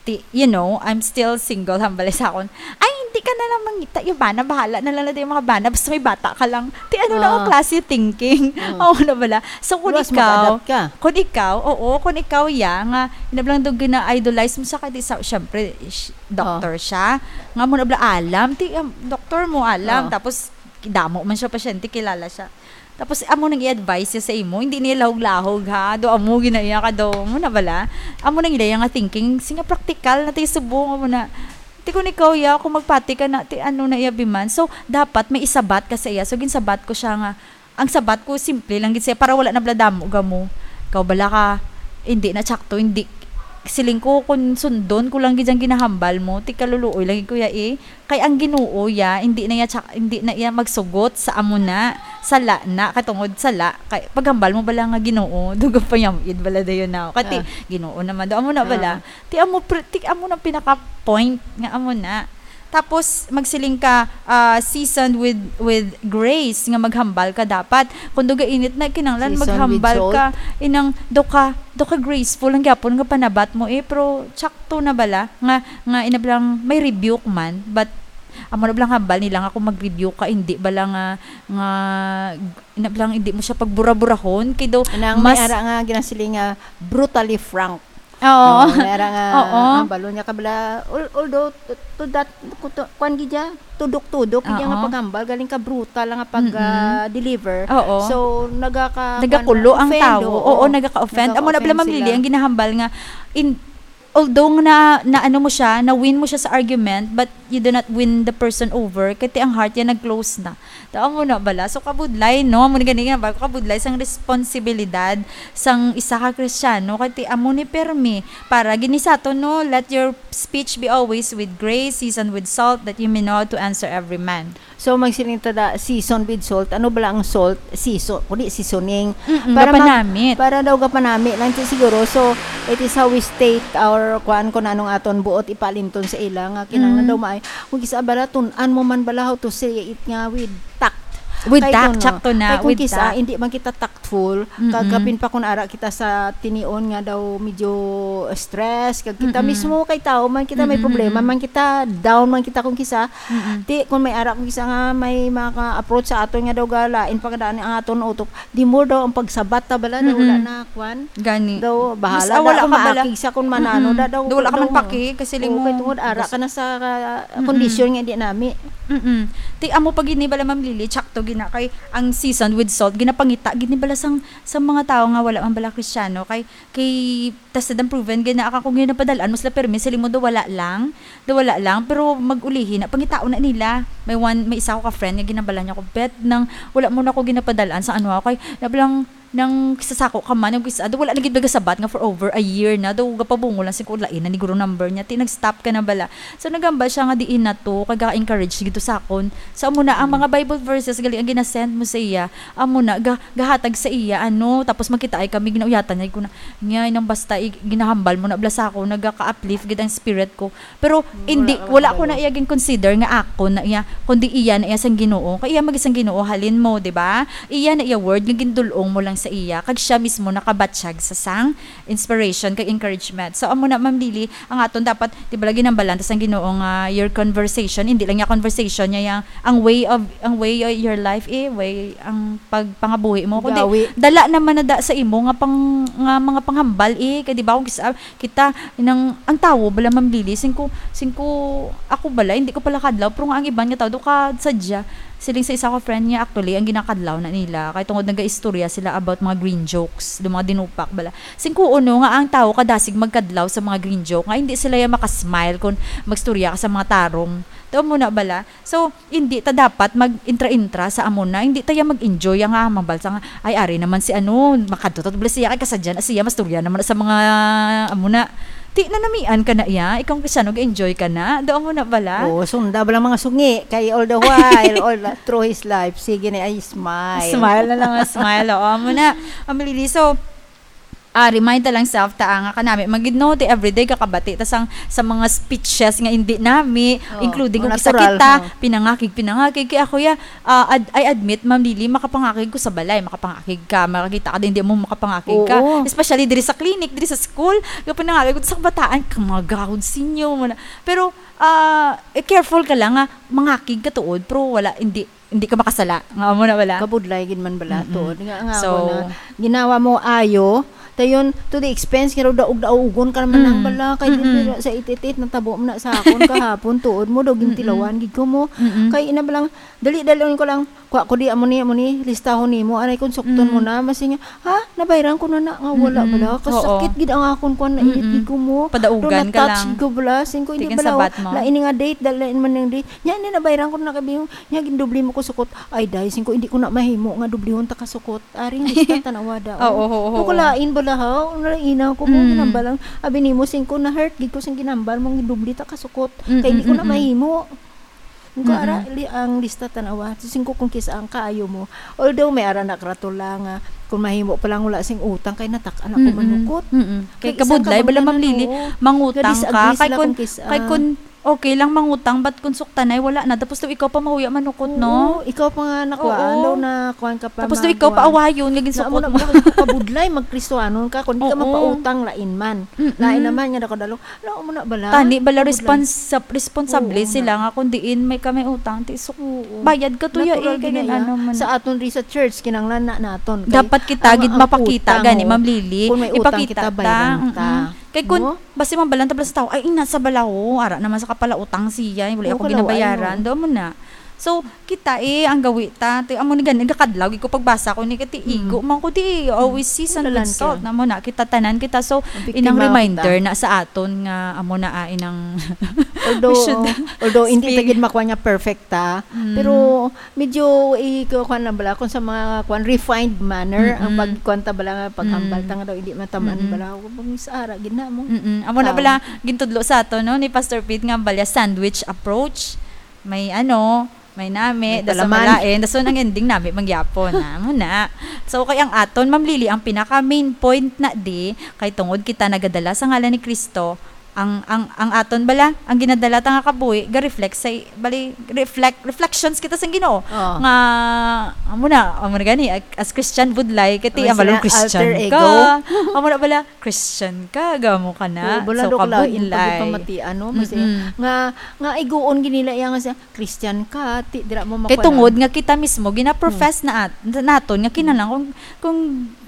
Ti, you know, I'm still single, hambal sa akon. Ay, hindi ka na lang mangita. Yung bana, bahala na lang na yung mga bana. Basta may bata ka lang. Ti, ano na ang Ah. klase thinking? Ah. Oo na bala. So, kung Luwas ikaw, mag-adapt ka. Kung ikaw, oo, kung ikaw, ya, nga, inablang daw gina-idolize mo sa kadi sa, syempre, sh-, doctor Ah. siya. Nga mo na bala, alam. Ti, um, doctor mo, alam. Ah. Tapos, damo man siya pasyente, kilala siya. Tapos, amo nang i-advise siya sa imo. Hindi niya lahog-lahog, ha? Do, amo, ginaya ka do. Mo na bala? Amo nang ilaya nga thinking. Singa praktikal na tayo subong, amo na. Ti, kung ikaw, ya, kung magpati ka na, ti, ano na iya biman. So, dapat may isabat ka sa iya. So, ginsabat ko siya nga, ang sabat ko, simple lang gid siya, para wala na bala damo gamo. Ikaw bala ka, hindi na tsakto, hindi. Siling ko, kung sundon ko lang gid ang ginahambal mo, ti kaluluoy lang gid ko ya, eh. Kay ang Ginoo, ya, hindi na iya tsa-, hindi na iya magsugot sa amo na, sala na, katungod sala, kay paghambal mo bala nga Ginoo, dugang panyamid bala dayon na. Kati, Ah. Ginoo naman daw, amo na bala. Ah. Ti amo, pre-, ti amo na pinaka-point nga amo na. Tapos, magsiling ka, ah, seasoned with, with grace, nga maghambal ka dapat. Kung duga init na, kinahanglan Seasoned with maghambal salt. ka. Inang, do ka, do ka graceful, ang gyapon nga panabat mo, eh, pero tsakto na bala, nga, nga inablang may rebuke man, but amo na bala ang hambal nila nga kung mag-rebuke ka, hindi bala nga, nga, inablang hindi mo siya pagbura-burahon, kay daw Anang may mas ara nga ginasiling nga brutally frank. Oo. No, may ara nga, Oo. ah, balo niya kabla, al-, although to, to that, kuto-, kuwan gid ya, tudok-tudok gid ya nga Oo. paghambal, galing ka brutal nga pag, Mm-mm. ah, deliver. Oo. So, nagaka-, Nagakulo kuwan, ang offend, tawo. Oo, oo. nagaka-offend. Amo na pala, Nagaka-offend Ma'am Lily, sila. ang ginahambal nga in, although na, na ano mo siya, na-win mo siya sa argument, but you do not win the person over, kay ti ang heart niya nag-close na. Tao mo na bala. So, kabudlay, no? Amo ni gani nga ba? Kabudlay sang responsibilidad sang isa ka Kristiyano. Kay ti amo ni permi. Para gini sa aton, no? "Let your speech be always with grace, seasoned with salt, that you may know how to answer every man." So, magsiling ta da, season with salt. Ano bala ang salt? Season, kundi seasoning. Mm-mm, Para mag-, gapanami. para daw gapanami lang ti siguro. So, it is how we state our, kuan, kung anong aton buot ipaalimton sa ila nga kinahanglan Mm. daw maay. Kung kisa bala, tun-an mo man bala how to say it nga with tact. With Kay tact, kung, sakto na, kay kung with kisa, tact. hindi man kita tactful, Mm-mm. kagapin pa kung ara kita sa tinion nga daw medyo stress, kag kita Mm-mm. mismo kay tao man kita may Mm-mm, problema, mm-mm. man kita down, man kita kung kisa, Mm-mm. ti, kung may ara kung kisa nga may maka-approach sa aton nga daw galain pa kadaan ang aton utok, the more daw ang pagsabat ta bala, daw wala Mm-mm. na, kwan. Gani. Daw, Mas, bahala ah, na wala kung ka bala. maakig siya kung manano Mm-mm. na daw, Daw wala ka man daw, paki, kasi oo, limo kay tungod ara gas- ka na sa, ah, Mm-mm. kondisyon nga di nami. Mm-mm. Ti, amo pa gid ni bala, Ma'am Lily, tsakto gina kay ang season with salt, ginapangita gid ni bala sang, sa mga tawo nga wala man bala Kristiyano, kay, kay tested and proven gid na, aka kung ginapadal-an mo sila permi, sila mo daw wala lang, daw wala lang, pero mag-ulihi na, pangitaon na nila. May one, may isa ko ka friend nga ginabala niya ko, "Bet, nang wala mo na ko ginapadal-an sa ano ako, kay nabalang nang kisasako ka man, nang kisa, daw wala na gid nagasabat nga for over a year na, daw gapabungol lang sing ko, lain na ni guro number niya, ti nag-stop ka na bala." So, nagambal siya nga diin na to, kag encourage gid to sakon. So, amo na, ang Mm. mga Bible verses, gali ang ginasend mo sa iya, amo na, ga-, gahatag sa iya, ano, tapos makita ay kami, ginauyatan niya, ko na, niya, nang basta, i-, ginahambal mo na, bala sa ako, nagaka-uplift gid ang spirit ko. Pero, Mm, hindi, wala ka wala ko na makabalo. iya gin-consider nga ako na iya, kundi iya na iya sang Ginoo. Kay iya mag isang Ginoo, halin mo, di ba? Iya na iya word nga gindul-ong mo lang sa iya, kag siya mismo nakabatyag sa sang inspiration kag encouragement. So, amo na, Ma'am Lily, ang aton dapat, di ba, lagi nang balanta sang Ginoo nga your conversation, hindi lang yung conversation niya, yang, ang way of, ang way of your life, eh, way, ang pagpangabuhi mo. Kundi, Gawi. dala naman na da sa imo nga pang, nga mga panghambal, eh, kay di ba, kung kisa, kita, nang, ang tawo bala, Ma'am Lily, singko, singko, ako bala, hindi ko pala kadlaw, pero nga ang iban nga tawo, do ka sadya, siling sa isa ko friend niya, actually, ang ginakadlaw na nila, kay tungod nagaistorya sila about mga green jokes, do mga dinupak bala. Singko uno nga ang tawo kadasig magkadlaw sa mga green joke, nga hindi sila ya makasmile kung magstorya ka sa mga tarong. Tao mo na bala? So, hindi ta dapat mag-intra-intra sa amo na. Hindi ta ya mag-enjoy nga mabalsa nga, "Ay, ari naman si ano, makadto ta bala siya, kay kasadya na siya, mastorya naman sa mga amo na." Ti, nanamian ka na iya, ikaw ang Kristiano, ga-enjoy ka na. Do amo na bala? Oo, sunda bala mga sungi, kay all the while, all the, through his life, sige na, ay, smile. Smile na lang, smile. Oo, amo na. Amo, Lily. So, ah, remind ta lang self ta, ah, nga kanami man gid, no, ti everyday kakabati ta sang, sa mga speeches nga hindi nami, Oo, including o kung kisa natural, kita, ha? pinangakig, pinangakig. Kay ako ya, ah, ad-, I admit, Ma'am Lily, makapangakig ko sa balay, makapangakig ka, makakita ka, hindi mo makapangakig ka. Oo. Especially diri sa clinic, diri sa school, nga pinangakig ko sa kabataan, ka mga gahod sinyo, mo na. Pero, ah, eh, careful ka lang nga mangakig ka tuod, pero wala, hindi, hindi ka makasala. Nga amo na bala? Kabudlay gid man bala, Mm-mm. tuod. Nga, nga So, ako na, ginawa mo ayo, dayon, to the expense, nga daw daog-daogon ka naman Mm. ang bala, kay Mm-mm. dito sa eight eight eight, natabo mo na sa akon kahapon, tuod mo, daw Mm-mm. gintilawan gid ko mo. Mm-mm. Kay ina bala, dali, dali ko lang, kuha ko di, amo ni, amo ni, listahon nimo, anay kung sukton mo Mm. na, masi nga, ha? Nabayran ko na na, nga wala Mm-mm. bala. Kasakit Oo. gid ang akon, kuan, nainit Mm-mm. gid ko mo. Padaugan Daw ka na-touch lang. ko bala, singko, hindi Tigang bala, sabat mo. lain nga date, dali man yung date. Nya, ni nabayran ko na kabihong, Nya, gindubli mo ko sukot. Ay, day, singko, hindi ko na mahimo nga dublihon ta ka sukot. Aring lista, tanawa daw. Oo, oo, oo. Nung kalain bala, ha? Nalaina ko mo, Mm. ginambalang. Abi nimo, singko, na-hurt gid ko sing ginambal mong gindubli ta ka sukot. Mm, Kay hindi ko mm, na mm. mahimo. Nung Mm, ara, mm. li-, ang lista, tanawa. Singko, kung kisa ang kaayo mo. Although, may ara na karatula nga, kung mahimo pa lang wala sing utang, kay natak-an ako Mm, mm. manukot. Mm, mm. Kay Kay isang kabudlay, bala, kabudlayan, Ma'am Lily, oo. mangutang Nga disagree ka. Kay sila kun, kung kis-, kay ah, kun, Okay lang mangutang, but kung suktanay, wala na. Tapos daw ikaw pa mahuya manukot, no? Oo, ikaw pa nga nakuhaan Oo. daw na kuhaan ka pa Tapos daw ikaw pa makuhaan. awayon, nga ginsukot Naamo na mo. Bala ka kabudlay, magkristohanon ka, kung di ka Oo. mapautang, lain man. Mm-mm. Lain naman nga nakadalo. Ano mo na bala? Tani bala Kabudlay. responsa-, responsable Oo, sila na. nga kung diin may ka may utang, ti suk-, Oo. bayad ka to ya, Natural eh, gid na kanin iya. ano man. Sa aton ri sa church, kinanglan na naton. Kay Dapat kita ang, gid ang mapakita, utang, gani, oh, Ma'am Lily. Kung may utang Ipakita kita, ta. bayran ta. Mm-mm. Kay kun, Mo? basi mabalan ta bala sa tao, "Ay, ina sa balawo, ara naman sa kapalautang siya, wala Oo, ako kalawa, ginabayaran." ay, Daw mo na. So, kita eh, ang gawi ta. Ti-, amo ni gani, nagakadlaw, gid ko pagbasa ko ni, kati igo man ko di, always season Wala with lang salt. siya. Amo na, kita tanan kita. So, Mabiktima inang kita. Reminder na sa aton nga, amo na, ah, inang Although, we should although hindi ta speak. Gid makuha nga perfect ta, Mm. pero medyo ikuha na bala kung sa mga kuan, refined manner ang Mm-mm. pagkuan ta bala nga paghambal Mm. ta nga daw hindi mataman Mm-mm. bala ako kung sa ara gid na mo. Mm-mm. Amo na Tao. Bala, gintudlo sa ato, no, ni Pastor Pete nga balya sandwich approach. May ano, may nami, May dason palaman. malain, dason ang ending nami mangyapon na. Amo na. So, kay ang aton, Ma'am Lily, ang pinaka main point na di, kay tungod kita nagadala sa ngalan ni Kristo, ang, ang, ang aton bala, ang ginadala ta nga kabuhi, ga-reflect sa, bali, reflect, reflections kita sa Ginoo. Oo. Nga, amo na, amo na gani, as Christian budlay, kati, May ang balong sila Christian alter ka. ego. Amo na bala, Christian ka, gamo ka na. Oo, bala So, do kalain kabudlay. pagpamatian, no? Mas, Mm-mm. nga, nga iguon gini la iya nga siya, Christian ka, ti, dira mo Kay makuha tungod na. Nga kita mismo gina-profess na at, naton nga kinahanglan kung, kung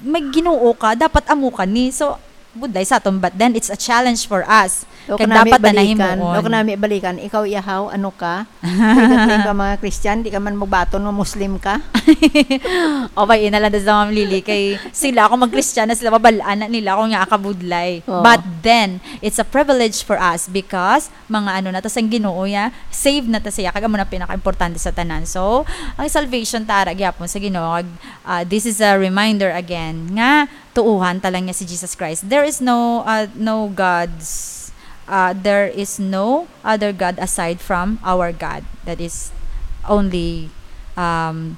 may Ginoo ka, dapat amo ka ni. So, budlay sa aton, but then it's a challenge for us. O Kay kanami dapat na balikan, nahimuon. O kanami balikan, ikaw yahaw, ano ka? Kay ka mga Christian, di ka man magbaton mo Muslim ka. O ba, ina lang sa Ma'am Lily, kay sila, kung mag-Christian na sila, mabalaan na nila kung nga kabudlay. Oo. But then, it's a privilege for us because mga ano na ta sa Ginoo ya, save na ta siya, kag amo na pinaka-importante sa tanan. So, ang salvation ta ara gyapon sa Ginoo, kag, ah, this is a reminder again nga tuohan ta lang niya si Jesus Christ. There is no, uh, no gods, uh, there is no other God aside from our God. That is only, um,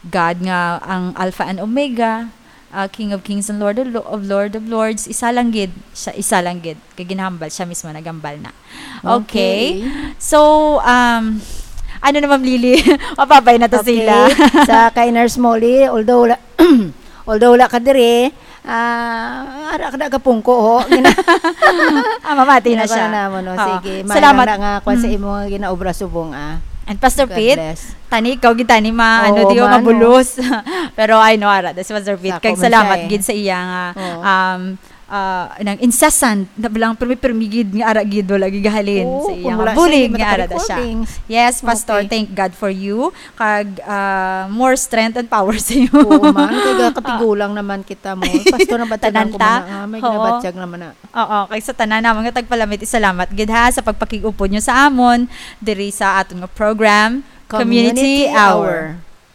God nga ang Alpha and Omega, uh, King of Kings and Lord of, Lo- of Lord of Lords. Isa lang gid siya, isa lang gid. Kay ginahambal siya mismo, naghambal na. Okay. Okay. So, um, ano na, Ma'am Lily? Mapabay na to Okay. Sila. Sa kay Nurse Molly, although wala, although wala ka dire, ah, ara ka na kapungko, ho. Gina- Ah, mamati na Gina- siya. Na mo, no? Oo. Sige, Salamat. Salamat na nga kung sa Mm. imo nga ginaobra subong, ah. And Pastor God Pete, bless. Tani, ikaw gid tani ma-, ano, Oo, di ko man, mabulos. Pero I know, ara, this was Pastor Pete. Sako Kag man salamat siya, eh. Gid sa iya nga, Oo. um, uh, nang incessant, na bilang pirmi-pirmi gid nga ara gid, wala gid gahalin Oo, sa iya kung nga wala bulig siya, nga ara da siya. recordings. Yes, Pastor, Okay. Thank God for you. Kag, uh, more strength and power sa iyo. Oo, man. Kaya katigulang naman kita mo. Pastor, nabatiagan Tanan ko ta? man na, ah, may Oo. ginabatyag naman na. Oo, kay sa tanan namon nga tagpalamit, isalamat gid ha sa pagpakig-upod nyo sa amon diri sa aton nga program, Community Community Hour. Hour.